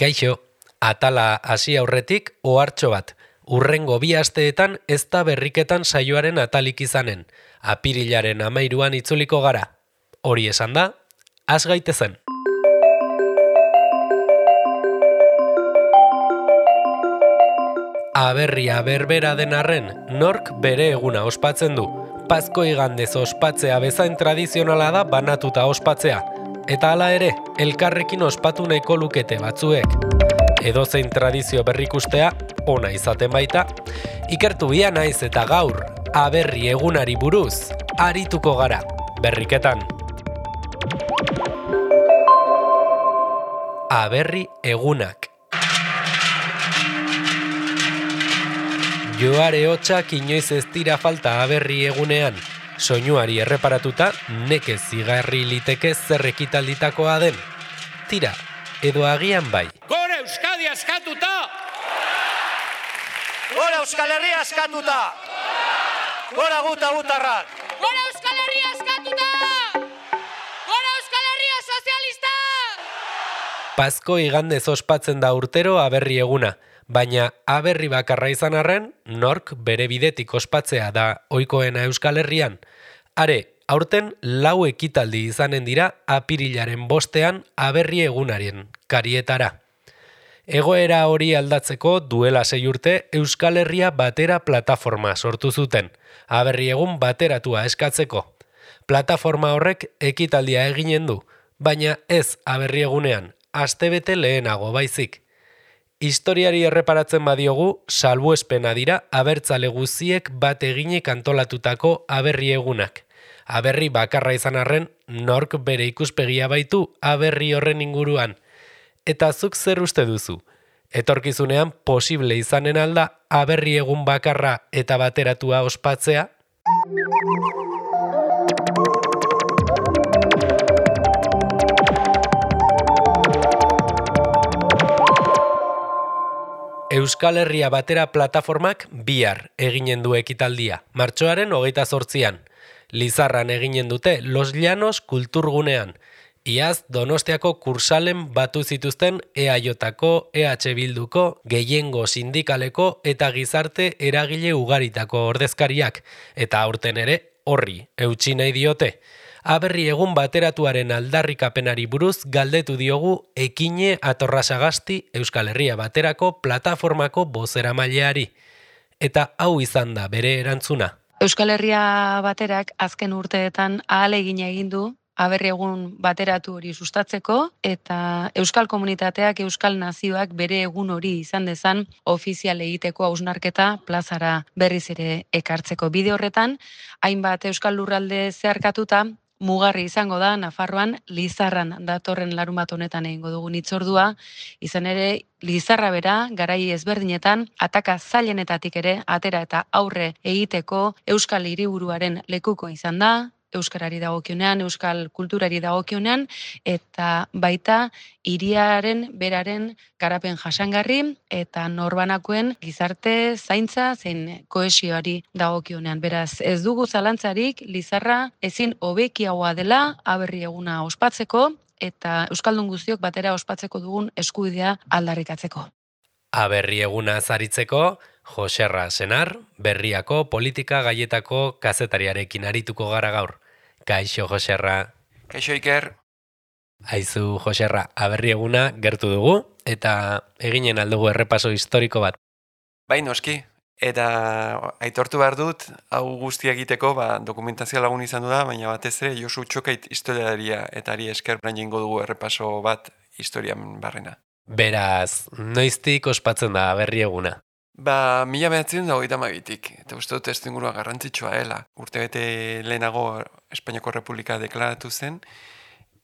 Kaixo, atala hasi aurretik ohartxo bat. Hurrengo 2 asteetan ez da berriketan saioaren atalik izanen. Apirilaren 13an itzuliko gara. Hori esan da, has gaitezen. Aberria berbera den arren, nork bere eguna ospatzen du. Pazko igandez ospatzea bezain tradizionala da banatuta ospatzea. Eta hala ere, elkarrekin ospatu nahiko lukete batzuek. Edozein tradizio berrikustea, ona izaten baita. Ikertu bia naiz eta gaur, aberri egunari buruz, arituko gara, berriketan. Aberri egunak. Joare hotxak inoiz ez dira falta aberri egunean. Soinuari erreparatuta, nekez zigarri liteke zer ekitalditakoa den. Tira, edo agian bai. Gora Euskadi askatuta! Gora Euskal Herria askatuta! Gora gutarrak! Gora Euskal Herria askatuta! Gora Euskal Herria sozialista! Pazko igandez ospatzen da urtero aberri eguna, baina aberri bakarra izan arren, nork bere bidetik ospatzea da ohikoena Euskal Herrian. Are, aurten 4 ekitaldi izanen dira apirilaren 5ean aberri egunaren karietara. Egoera hori aldatzeko duela 6 urte Euskal Herria Batera plataforma sortu zuten, aberri egun bateratua eskatzeko. Plataforma horrek ekitaldia eginen du, baina ez aberri egunean, astebete lehenago baizik. Historiari erreparatzen badiogu, salbuespena dira abertzale guziek bat eginek antolatutako aberri egunak. Aberri bakarra izan arren, nork bere ikuspegia baitu aberri horren inguruan. Eta zuk zer uste duzu? Etorkizunean posible izanen alda aberri egun bakarra eta bateratua ospatzea? Euskal Herria Batera plataformak bihar eginen du ekitaldia, martxoaren 28an. Lizarran eginen dute Los Llanos kulturgunean. Iaz Donostiako kursalen batu zituzten EAJko, EH Bilduko, gehiengo sindikaleko eta gizarte eragile ugaritako ordezkariak, eta aurten ere horri eutsi nahi diote. Aberri egun bateratuaren aldarrikapenari buruz galdetu diogu Ekine Atorrasagasti Euskal Herria Baterako plataformako bozeramaileari. Eta hau izan da bere erantzuna. Euskal Herria Baterak azken urteetan ahalegina egin du aberri egun bateratu hori sustatzeko eta Euskal Komunitateak, Euskal Nazioak bere egun hori izan dezan ofizial egiteko hausnarketa plazara berriz ere ekartzeko. Bide horretan, hainbat Euskal Lurralde zeharkatuta, mugarri izango da Nafarroan Lizarran datorren larunbat honetan egingo dugun hitzordua, izan ere Lizarra bera garai ezberdinetan ataka zailenetatik ere atera eta aurre egiteko Euskal Hiriburuaren lekuko izan da, euskarari dagokionean, euskal kulturari dagokionean eta baita hiriaren beraren garapen jasangarri eta norbanakoen gizarte zaintza zein kohesioari dagokionean. Beraz, ez dugu zalantzarik Lizarra ezin hobekiagoa dela aberri eguna ospatzeko eta euskaldun guztiok batera ospatzeko dugun eskubidea aldarrikatzeko. Aberri eguna zaritzeko, Joserra Senar, Berriako politika gaietako kazetariarekin arituko gara gaur. Kaixo, Joserra. Kaixo, Iker. Aizu, Joserra, aberri eguna gertu dugu, eta eginen aldugu errepaso historiko bat. Bai, noski. Eta aitortu behar dut, hau guztia egiteko, dokumentazioa lagun izan du da, baina batez ere Josu Txokait historiaria eta ari esker brainengo dugu errepaso bat historian barrena. Beraz, noiztik ospatzen da aberri eguna? 1922tik, eta uste dut testu ingurua garrantzitsua dela. Urtebete lehenago Espainiako Republika deklaratu zen,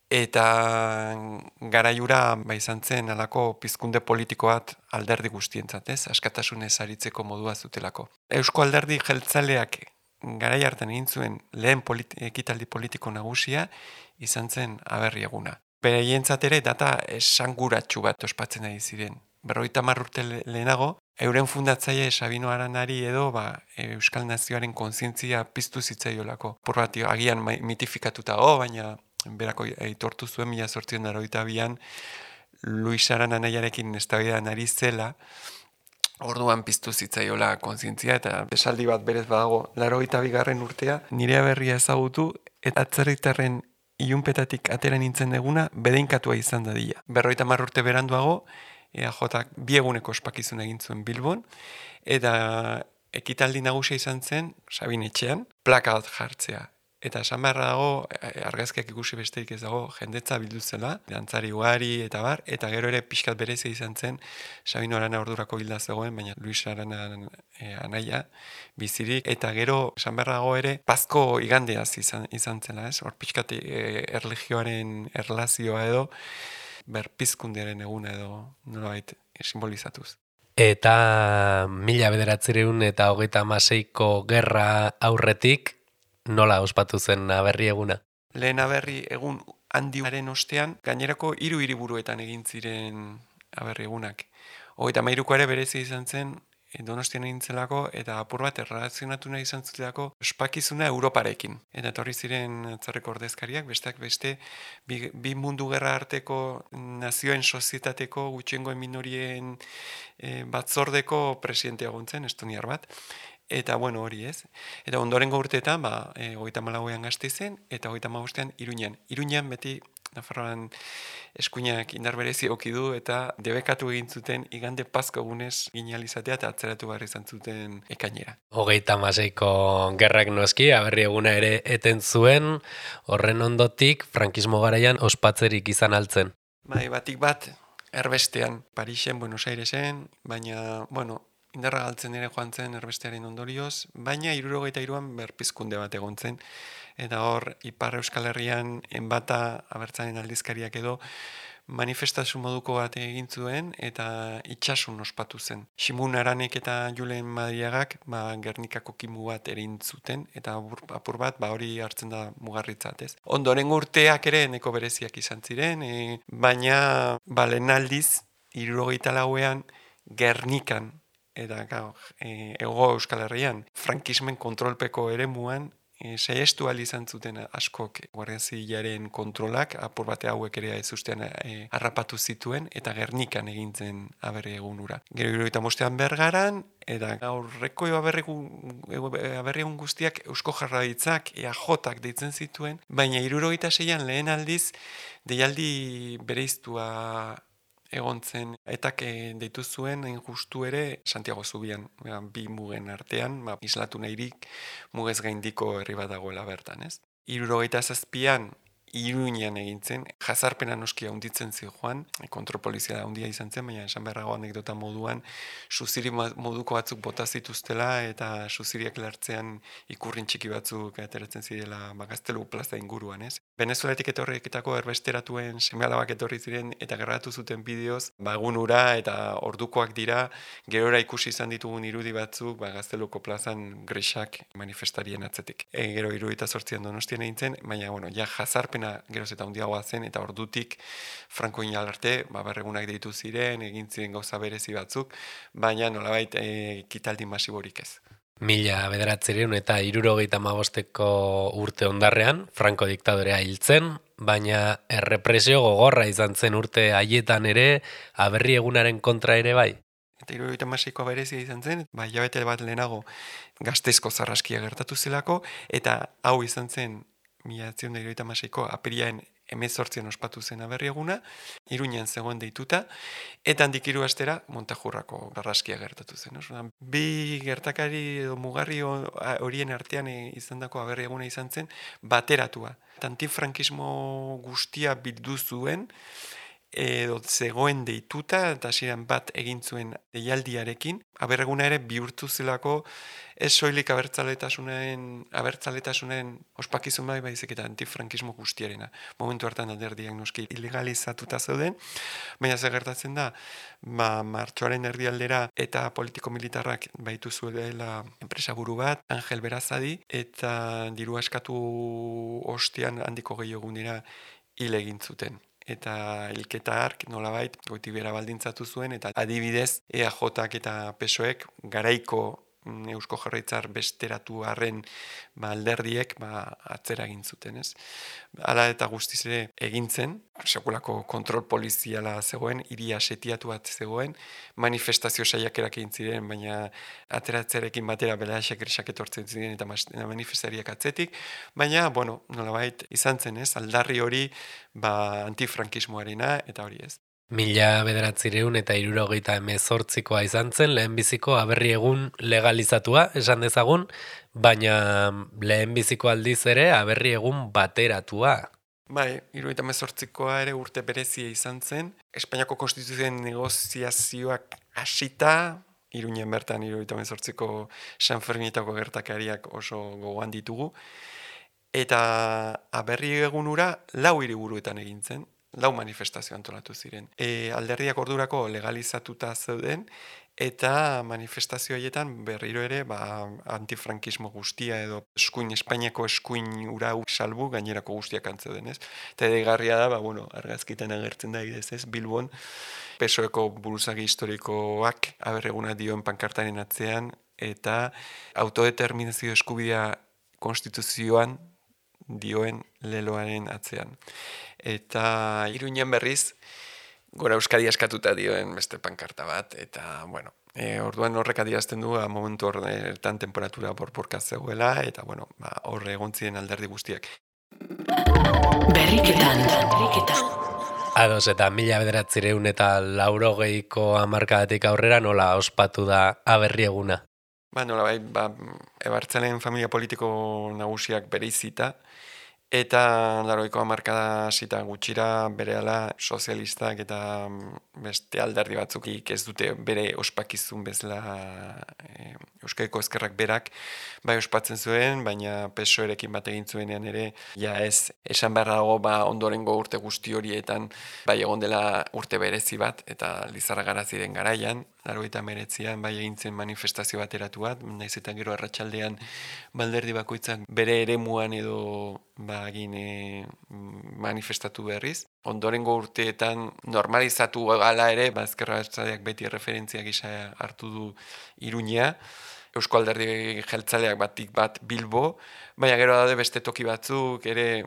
eta garaiura izan zen alako pizkunde politiko bat alderdi guztientzat, askatasunez aritzeko modua zutelako. Eusko alderdi jeltzaleak garai hartan egin zuen lehen ekitaldi politiko nagusia izan zen aberri eguna. Beraientzat ere data esanguratsu bat ospatzen ari ziren. 50 urte lehenago, euren fundatzaile Sabino Aranari edo Euskal Nazioaren kontzientzia piztu zitzaiolako. Porratio agian mitifikatuta baina berako aitortu zuen 1882an Luis Arana nahiarekin eztabaidan ari zela, orduan piztu zitzaiola kontzientzia eta esaldi bat berez badago, 82. urtea, nire aberria ezagutu eta atzerritarren ilunpetatik atera nintzen deguna bedeinkatua izan dadila. 50 urte beranduago, EAJak 2 eguneko ospakizuna egin zuen Bilbon, eta ekitaldi nagusia izan zen, Sabin etxean, plaka bat jartzea. Eta esan beharra dago, argazkiak ikusi besterik ez dago, jendetza bildu zela, dantzari ugari eta bar, eta gero ere pixkat berezi izan zen, Sabino Arana ordurako hilda zegoen, baina Luis Arana anaia bizirik, eta gero esan beharra dago ere, Pazko igandeaz izan zela, ez? Hor pixkat erlijioaren erlazioa edo, berpizkundearen eguna edo nolabait simbolizatuz. Eta 1936ko gerra aurretik, nola ospatu zen aberri eguna? Lehen aberri egun handiaren ostean, gainerako 3 hiriburuetan egin ziren aberri egunak. 33ko ere berezi izan zen, Donostian egin zelako, eta apur bat erlazionatu nahi izan zutelako ospakizuna Europarekin. Eta etorri ziren atzerriko ordezkariak, besteak beste, bi mundu gerra arteko nazioen sozietateko gutxiengoen minorien batzordeko presidentea gontzen, estoniar bat. Eta bueno, hori ez. Eta ondorengo urteetan, 34ean Gasteizen, eta 35ean Iruñan. Iruñan beti Nafarroan eskuinak indar berezi okidu eta debekatu egin zuten igande Pazko egunez ginalizatea eta atzeratu behar izan zuten ekainera. 36ko gerrak noski, aberri eguna ere eten zuen, horren ondotik frankismo garaian ospatzerik izan altzen. Bai, batik bat, erbestean, Parisen, Buenos Airesen, baina, bueno, indarra galtzen ere joan zen erbestearen ondorioz, baina 73an berpizkunde bat egon zen, eta hor, Ipar Euskal Herrian enbata abertzaren aldizkariak edo manifestazio moduko bat egin zuen eta itxasun ospatu zen. Ximun Aranek eta Julen Madriagak Gernikako kimu bat erin zuten eta apur bat hori hartzen da mugarritzat, ez? Ondoren urteak ere neko bereziak izan ziren, baina lehen aldiz 74ean Gernikan eta Hego Euskal Herrian frankismen kontrolpeko eremuan saiestu ahal izan zuten askok Guardia Zibilaren kontrolak, apur bate hauek ere ez ustean harrapatu zituen, eta Gernikan egin zen aberri egunura. Gero 75ean Bergaran, eta aurreko aberri egun guztiak Eusko Jaurlaritzak, EAJak deitzen zituen, baina 76an lehen aldiz deialdi bereiztua egon zen, etak deitu zuen justu ere Santiago Zubian, bi mugen artean, islatu nahirik mugez gaindiko herri bat dagoela bertan, ez? 77an Iruñan egin zen, jazarpena noski handitzen zijoan, kontrolpolizia da handia izan zen, baina esan beharrago anekdota moduan, suziri moduko batzuk bota zituztela eta suziriak lartzean ikurrin txiki batzuk ateratzen zirela Gaztelu plaza inguruan, ez? Venezuelatik etorriketako erbesteratuen seme-alabak etorri ziren eta gerratu zuten bideoz, egunura eta ordukoak dira, gerora ikusi izan ditugun irudi batzuk, Gazteluko plazan grexak manifestarien atzetik. Gero 78an Donostian egin zen, baina, bueno, ja jazarpena geroz eta handiagoa zen, eta ordutik Franko inalarte, berregunak deitu ziren, egin ziren gauza berezi batzuk, baina nolabait ekitaldi masiborik ez. 1975ko urte ondarrean, Franko diktadorea hiltzen, baina errepresio gogorra izan zen urte haietan ere, aberri egunaren kontra ere bai. Eta 76ko berezia izan zen, hilabete bat lehenago Gasteizko zarraskia gertatu zelako, eta hau izan zen 1976ko apiriaen 18an ospatu zen aberri eguna, Iruñan zegoen deituta, eta handik 3 astera Montajurrako zarraskia gertatu zen. Bi gertakari edo mugarri horien artean izandako aberri eguna izan zen bateratua. Antifrankismo guztia bildu zuen, edo zegoen deituta, eta hasieran bat egin zuen deialdiarekin, aberreguna ere bihurtu zelako ez soilik abertzaletasunaren ospakizun baizik eta antifrankismo guztiarena. Momentu hartan alderdiak noski ilegalizatuta zeuden, baina zer gertatzen da, martxoaren erdialdera eta politiko-militarrak baitu zuela enpresaburu bat, Angel Berazadi, eta diru askatu ostean handiko gehiogunera hil egin zuten. Eta hilketa hark nolabait goitibera baldintzatu zuen, eta adibidez EAJak eta PSOEk garaiko Eusko Jaurlaritzar besteratu arren alderdiek atzera egin zuten, ez? Hala eta guztiz ere egintzen, sekulako kontrol poliziala zegoen, hiria setiatu bat zegoen, manifestazio saiakerak egin ziren, baina ateratzearekin batera Belaxek Grisak etortzen ziren eta manifestariak atzetik, baina, nolabait izan zen, ez? Aldarri hori antifrankismoarena eta hori ez. 1978koa izan zen lehenbiziko aberri egun legalizatua, esan dezagun, baina lehenbiziko aldiz ere aberri egun bateratua. Bai, 1978koa ere urte berezia izan zen. Espainiako konstituzioen negoziazioak hasita, Iruñen bertan 1978ko San Ferminetako gertakariak oso gogoan ditugu. Eta aberri egunura 4 hiriburuetan egin zen. 4 manifestazio antolatu ziren. Alderdiak ordurako legalizatuta zeuden, eta manifestazio haietan berriro ere antifrankismo guztia edo Espainiako eskuin ura salbu gainerako guztiak antzeuden, ez? Eta edegarria da, argazkitan agertzen da idez, ez? Bilbon, PSOEko buruzagi historikoak aberreguna dioen pankartaren atzean, eta autodeterminazio eskubidea konstituzioan dioen leloaren atzean. Eta Iruñen berriz, Gora Euskadi askatuta dioen beste pankarta bat, eta, orduan horrek adierazten du, momentu horretan temperatura borborka zegoela, eta, horre egon ziren alderdi guztiak. Berriketan. Ados, eta 1980ko hamarkadatik aurrera nola ospatu da aberri eguna? Ebartzalen familia politiko nagusiak bereizita, eta 80ko hamarkada zita gutxira berehala sozialistak eta beste alderdi batzukik ez dute bere ospakizun bezala Euskadiko Ezkerrak berak ospatzen zuen, baina PSOErekin bat egin zuenean ere, ez esan behar dago ondorengo urte guzti horietan egon dela urte berezi bat, eta Lizarra Garaziren garaian, 89an egin zen manifestazio bateratu bat, naiz eta gero arratsaldean alderdi bakoitzak bere eremuan edo manifestatu berriz. Ondorengo urteetan normalizatu gala ere, Ezker Abertzaleak beti referentzia gisa hartu du Iruña, Eusko Alderdi Jeltzaleak batik bat Bilbo, baina gero daude beste toki batzuk, ere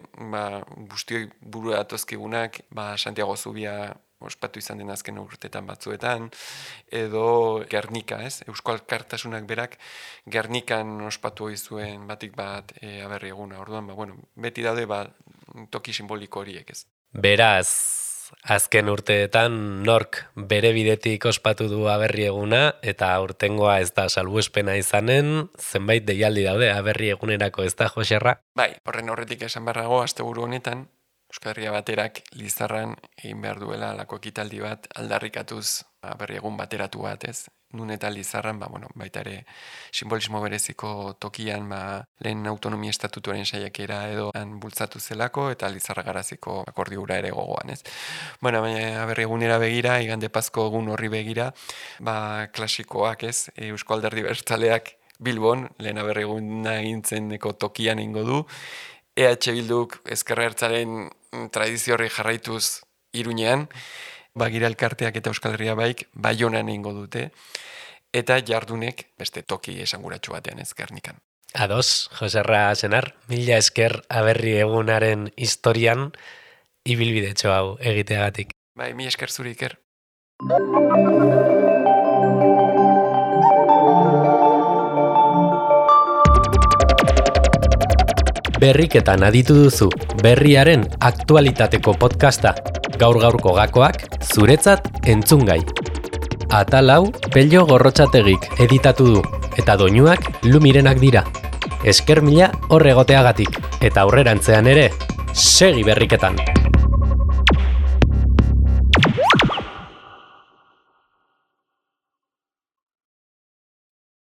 guztioi burua datozkigunak, Santiago Zubia ospatu izan den azken urteetan batzuetan, edo Gernika, ez? Eusko Alkartasunak berak Gernikan ospatu hori zuen batik bat aberri eguna. Orduan, beti daude toki simboliko horiek, ez? Beraz, azken urteetan nork bere bidetik ospatu du aberri eguna, eta urtengoa ez da salbuespena izanen, zenbait deialdi daude aberri egunerako, ez da, Joserra? Bai, horretik esan beharrago, asteburu honetan, Euskal Herria Baterak Lizarran egin behar duela lako ekitaldi bat aldarrikatuz aberri egun bateratu bat, ez? Nun eta Lizarran, baita ere simbolismo bereziko tokian lehen autonomia estatutuaren saiakera edo bultzatu zelako eta Lizarra Garaziko akordiura ere gogoan, ez? Baina aberri egunera begira, igande Pazko egun horri begira, klasikoak, ez? Eusko Alderdi Abertzaleak Bilbon, lehen aberri eguna egintzeneko tokian ingo du, EH Bilduk Ezker Abertzalearen tradizio horri jarraituz Iruñean, Bagira Elkarteak eta Euskal Herria Baik Baionan egingo dute, eta jardunek beste toki esanguratsu batean, ez, Gernikan. Ados, Joserra Senar, mila esker aberri egunaren historian ibilbidetxo hau egiteagatik. Bai, mila esker zuri, Iker. Berriketan aditu duzu berriaren aktualitateko podcasta. Gaur-gaurko gakoak zuretzat entzungai. Atal hau Pello Gorrotxategik editatu du, eta doinuak Lumirenak dira. Esker mila hor egoteagatik, eta aurrerantzean ere, segi berriketan!